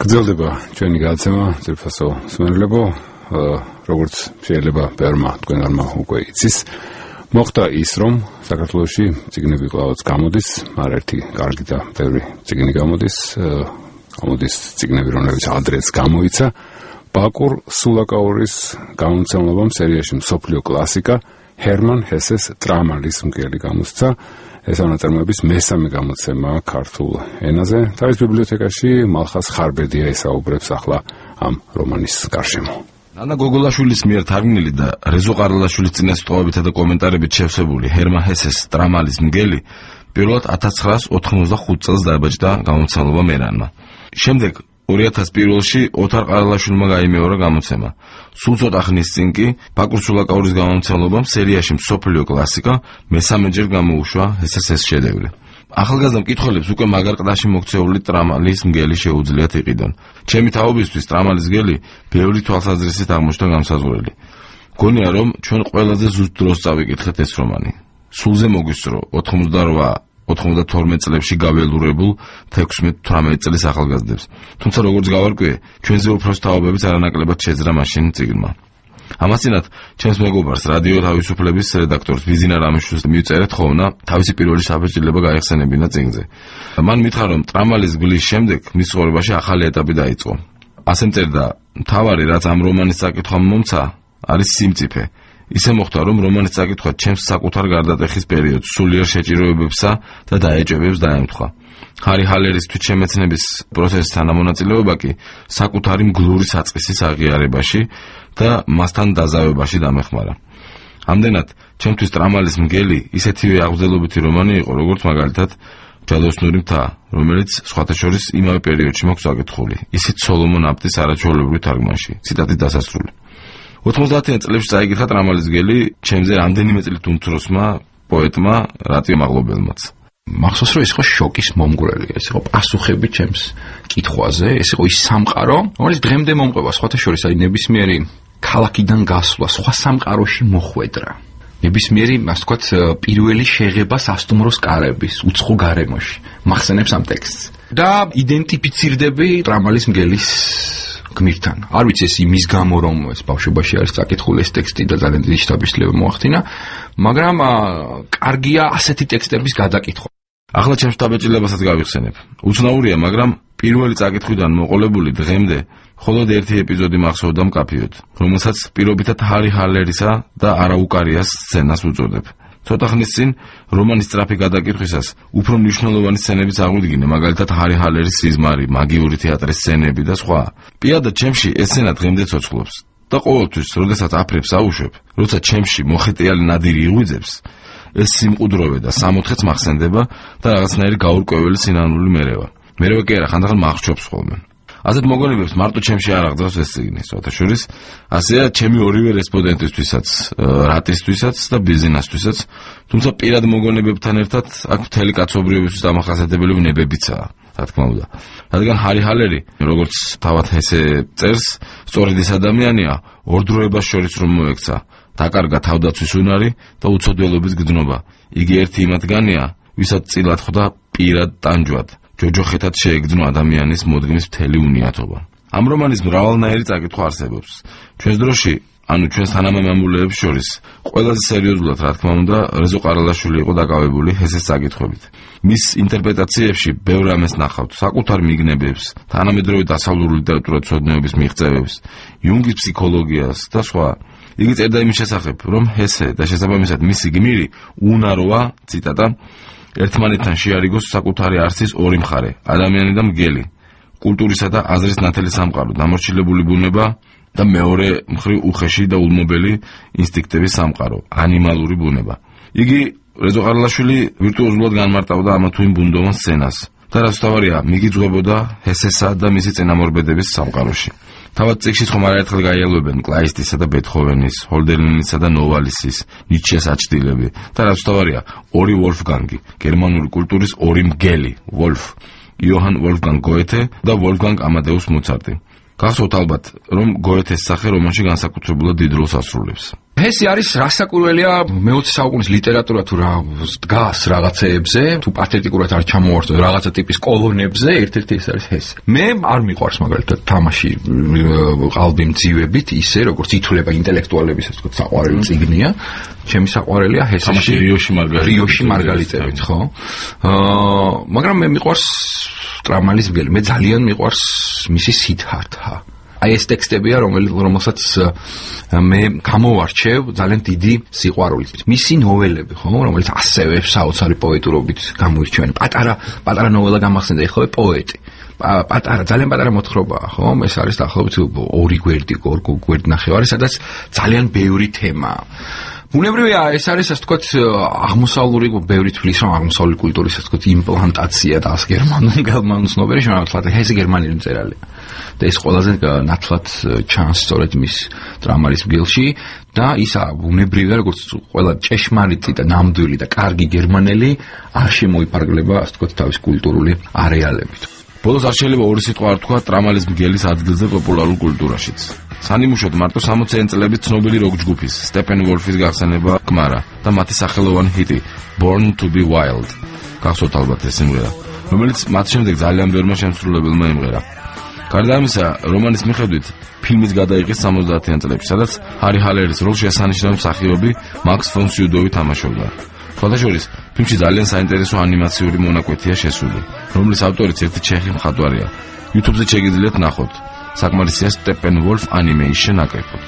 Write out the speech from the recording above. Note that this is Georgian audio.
გრძელდება ჩვენი გადაცემა ძირფასო მსმენელებო, როგორც შეიძლება ბევრმა თქვენგანმა უკვე იცის, მოხდა ის, რომ საქართველოში წიგნები კვლავაც გამოდის, არაერთი კარგი და ბევრი წიგნი გამოდის წიგნები, რომლებიც ადრეც გამოიცა. ბაკურ სულაკაურის გამომცემლობამ სერიაში მსოფლიო კლასიკა ჰერმან ჰესეს ტრამალის მგელი გამოსცა. ეს ნაწარმოების მესამე გამოცემა ქართულ ენაზე. თავის ბიბლიოთეკაში მალხას ხარბედია ესაუბრებს ახლა ამ რომანის გარშემო. ანა გოგოლაშვილის მიერ თარგმნილი და რეზო ყარალაშვილის წინასწვავებითა და კომენტარებით შევსებული ჰერმან ჰესეს ტრამალის მგელი პირველად 1985 წელს დაიბაჭდა გამომცემლობა მერანმა. შემდეგ 2001-ში ოთარ ყარალაშვილმა გაიმეორა გამოცემა. სულ ცოტა ხნის წინ კი ბაკურ სულაკაურის გამომცემლობამ სერიაში მსოფლიო კლასიკა მესამეჯერ გამოუშვა ეს შედევრი. ახალგაზრდა მკითხველებს უკვე მაგარ ყდაში მოქცეული ტრამალის მგელი შეუძლიათ იყიდონ. ჩემი თაობისთვის ტრამალის მგელი ბევრი თვალსაზრისით აღმოჩნდა გამსაზღვრელი. გონია რომ ჩვენ ყველაზე ზუსტ დროს წავიკითხეთ ეს რომანი. სულზე მოგვისწრო 98-92 წლებში გაველურებულ 16-18 წლის ახალგაზრდებს. თუმცა როგორც გავარკვიე, ჩვენზე უფრო თაობებიც არანაკლებად შეძრა მაშინ წიგნმა. ამასთანავე, ჩემს მეგობარს რადიო თავისუფლების რედაქტორს ვიზინა რამიშვილს მივწერეთ ხოვნა თავისი პირველი საბეჭდილება გაიხსენებინა წიგნზე. მან მითხრა, რომ ტრამალის გვლის შემდეგ მის ცხოვრებაში ახალი ეტაპი დაიწყო. ასე მწერდა, მთავარი რაც ამ რომანის წაკითხვამ მომცა, არის სიმწიფე. ისე მოხდა, რომ რომანის წაკითხვა ჩემს საკუთარ გარდატეხის პერიოდს სულიერ შეჭიროებებსა და დაეჭვებებს დაემთხვა. ჰარი ჰალერის თვითშემეცნების პროცესის თანამონაწილეობა კი საკუთარი მგლური საწყისის აღიარებაში და მასთან დაზავებაში დამეხმარა. ამდენად, ჩემთვის ტრამალის მგელი ისეთივე აღრძელობითი რომანი იყო, როგორც მაგალითად ჯადოსნური მთა, რომელიც სხვათა შორის იმავე პერიოდში მოხდა წაკითხული, ისიც სოლომონ აპტის არაჩვეულებრივ თარგმანში. ციტატის დასასრული. 90-იან წლებში წაიკითხა ტრამალის მგელი ჩემზე რამდენიმე წლით უმცროსმა პოეტმა რატიო მაღლობელმაც. მახსოვს რომ ეს იყო შოკის მომგვრელი, ეს იყო პასუხები ჩემს კითხვაზე, ეს იყო ის სამყარო, რომელიც დღემდე მომყვება სხვათა შორის, აი ნებისმიერი ქალაქიდან გასვლა, სხვა სამყაროში მოხვედრა. ნებისმიერი, ასე ვთქვათ, პირველი შეღება სასტუმროს კარების, უცხო გარემოში. მახსენებს ამ ტექსტს. და იდენტიფიცირდები ტრამალის მგელის გმირთან. არ ვიცი ეს იმის გამო რომ ეს ბავშვობაში არის წაკითხული ეს ტექსტი და ძალიან დიდი შთაბეჭდილება მოახდინა, მაგრამ კარგია ასეთი ტექსტების გადაკითხვა. ახლა ჩემს შთაბეჭდილებასაც გავიხსენებ. უცნაურია, მაგრამ პირველი წაკითხვიდან მოყოლებული დღემდე მხოლოდ ერთი ეპიზოდი მახსოვდა მკაფიოდ, რომელსაც პირობითად ჰარი ჰალერისა და არაუკარიას სცენას უწოდებ. ცოტა ხნის წინ რომანის სწრაფი გადაკითხვისას უფრო მნიშვნელოვანი სცენებიც აღვიდგინე, მაგალითად ჰარი ჰალერის სიზმარი, მაგიური თეატრის სცენები და სხვა. პირადად ჩემში ეს სცენა დღემდე ცოცხლობს და ყოველთვის, როდესაც აფრებს აუშვებ, როცა ჩემში მოხეტიალი ნადირი იღვიძებს, ეს სიმყუდროვე და სამოთხეც მახსენდება და რაღაცნაირი გაურკვეველი სინანული მერევა. მერევა კი არა, ხანდახან მახრჩობს ხოლმე. ასეთ მოგონებებს მარტო ჩემში არ აღძრავს ეს წიგნი, სხვათა შორის, ასეა ჩემი ორივე რესპონდენტისთვისაც, რატისთვისაც და ბიზნესთვისაც, თუმცა პირად მოგონებებთან ერთად აქ მთელი კაცობრიობისთვის დამახასიათებელი ნებებიცაა, რა თქმა უნდა. რადგან ჰარი ჰალერი, როგორც თავად ესე წერს, სწორედ ეს ადამიანია, ორ დროებას შორის რომ მოექცა, დაკარგა თავდაცვის უნარი და უცოდველობის გრძნობა. იგი ერთი იმათგანია, ვისაც წილად ხვდა პირად ტანჯვად. ჯოჯოხეთად შეეგრძნო ადამიანის მოდგმის მთელი უნიათობა. ამ რომანის მრავალნაირი წაკითხვა არსებობს. ჩვენს დროში, ანუ ჩვენს თანამემამულეებს შორის, ყველაზე სერიოზულად, რა თქმა უნდა, რეზო ყარალაშვილი იყო დაკავებული ჰესეს წაკითხვებით. მის ინტერპრეტაციებში ბევრ ამას ნახავთ, საკუთარ მიგნებებს, თანამედროვე დასავლური ლიტერატურის ცოდნეობის მიღწევებს, იუნგის ფსიქოლოგიას და სხვა. იგი წერდა იმის შესახებ, რომ ჰესე და შესაბამისად მისი გმირი უნაროა, ციტატა, ერთმანეთთან შეარიგოს საკუთარი არსის ორი მხარე, ადამიანი და მგელი, კულტურისა და აზრის ნათელი სამყარო, დამორჩილებული ბუნება და მეორე მხრივ უხეში და ულმობელი ინსტინქტების სამყარო, ანიმალური ბუნება. იგი რეზო ყარალაშვილი ვირტუოზულად განმარტავდა ამა თუ იმ ბუნდოვან სცენას და რაც თავარია, მიგიძღვებოდა ჰესესა და მისი წინამორბედების სამყაროში. თავად წიგნში ხომ არაერთხელ გაიელვებენ კლაისტისა და ბეთჰოვენის, ჰოლდერლინისა და ნოვალისის, ნიცშეს აჩრდილები და რაც თავარია, ორი ვოლფგანგი, გერმანული კულტურის ორი მგელი, ვოლფ, იოჰან ვოლფგანგ გოეთე და ვოლფგანგ ამადეუს მოცარტი. გახსოვთ ალბათ, რომ გოეთეს სახე რომანში განსაკუთრებულად დიდ როლს ასრულებს. ჰესი არის რასაკურველია მე-20 საუკუნის ლიტერატურა თუ რა დგას რაღაცეებზე, თუ პათეტიკურად არ ჩამოვარდო რაღაცა ტიპის კოლონებზე, ერთ-ერთი ეს არის ჰესი. მე არ მიყვარს მაგალითად თამაში ყალბი მძივებით, ისე როგორც ითვლება ინტელექტუალების ასე ვთქვათ საყვარელი წიგნია. ჩემი საყვარელია ჰესეში რიოში მარგალიტებით, ხო? მაგრამ მე მიყვარს ტრამალის მგელი, მე ძალიან მიყვარს მისი სიდჰართა. აი ეს ტექსტებია, რომელსაც მე გამოვარჩევ ძალიან დიდი სიყვარულით. მისი ნოველები, ხო, რომელიც ასევე საოცარი პოეტურობით გამოირჩევიან. პატარა ნოველა გამახსენდა, ეხლა პოეტი. ძალიან პატარა მოთხრობაა, ხო? ეს არის დაახლოებით 2 გვერდი, 2 გვერდ ნახევარი, სადაც ძალიან ბევრი თემაა. ბუნებრივია, ეს არის ასე ვთქვათ აღმოსავლური, ბევრი თვლის რომ აღმოსავლური კულტურის ასე ვთქვათ იმპლანტაცია და ას გერმანულ ცნობერი შემოთვლად ჰესი გერმანელი მწერალია. და ეს ყველაზე ნათლად ჩანს სწორედ მის ტრამალის მგელში და ისა ბუნებრივია, როგორც ყველა ჭეშმარიტი და ნამდვილი და კარგი გერმანელი არ შემოიფარგლება ასე ვთქვათ თავის კულტურული არეალებით. ბოლოს არ შეიძლება ორი სიტყვა არ თქვა ტრამალის მგელის ადგილზე პოპულარულ კულტურაშიც. სანიმუშოდ მარტო 60-იანი წლების ცნობილი როკ ჯგუფის სტეპენ ვოლფის გახსენება გმარა და მათი სახელოვანი ჰიტი Born to be Wild გახსოვთ ალბათ ეს სიმღერა, რომელიც მათ შემდეგ ძალიან ბევრმა შემსრულებელმა იმღერა. გარდა ამისა, რომანის მიხედვით ფილმიც გადაიღეს 70-იან წლებში, სადაც ჰარი ჰალერის როლში ასანიშნავი მსახიობი მაქს ფონ სიუდოვი თამაშობდა. სხვადასხვა ფილმში ძალიან საინტერესო ანიმაციური მონაკვეთია შესული, რომლის ავტორიც ერთი ჩეხი მხატვარია. YouTube-ზე შეგიძლიათ ნახოთ. საკმარისია Steppenwolf Animation აკრიფოთ.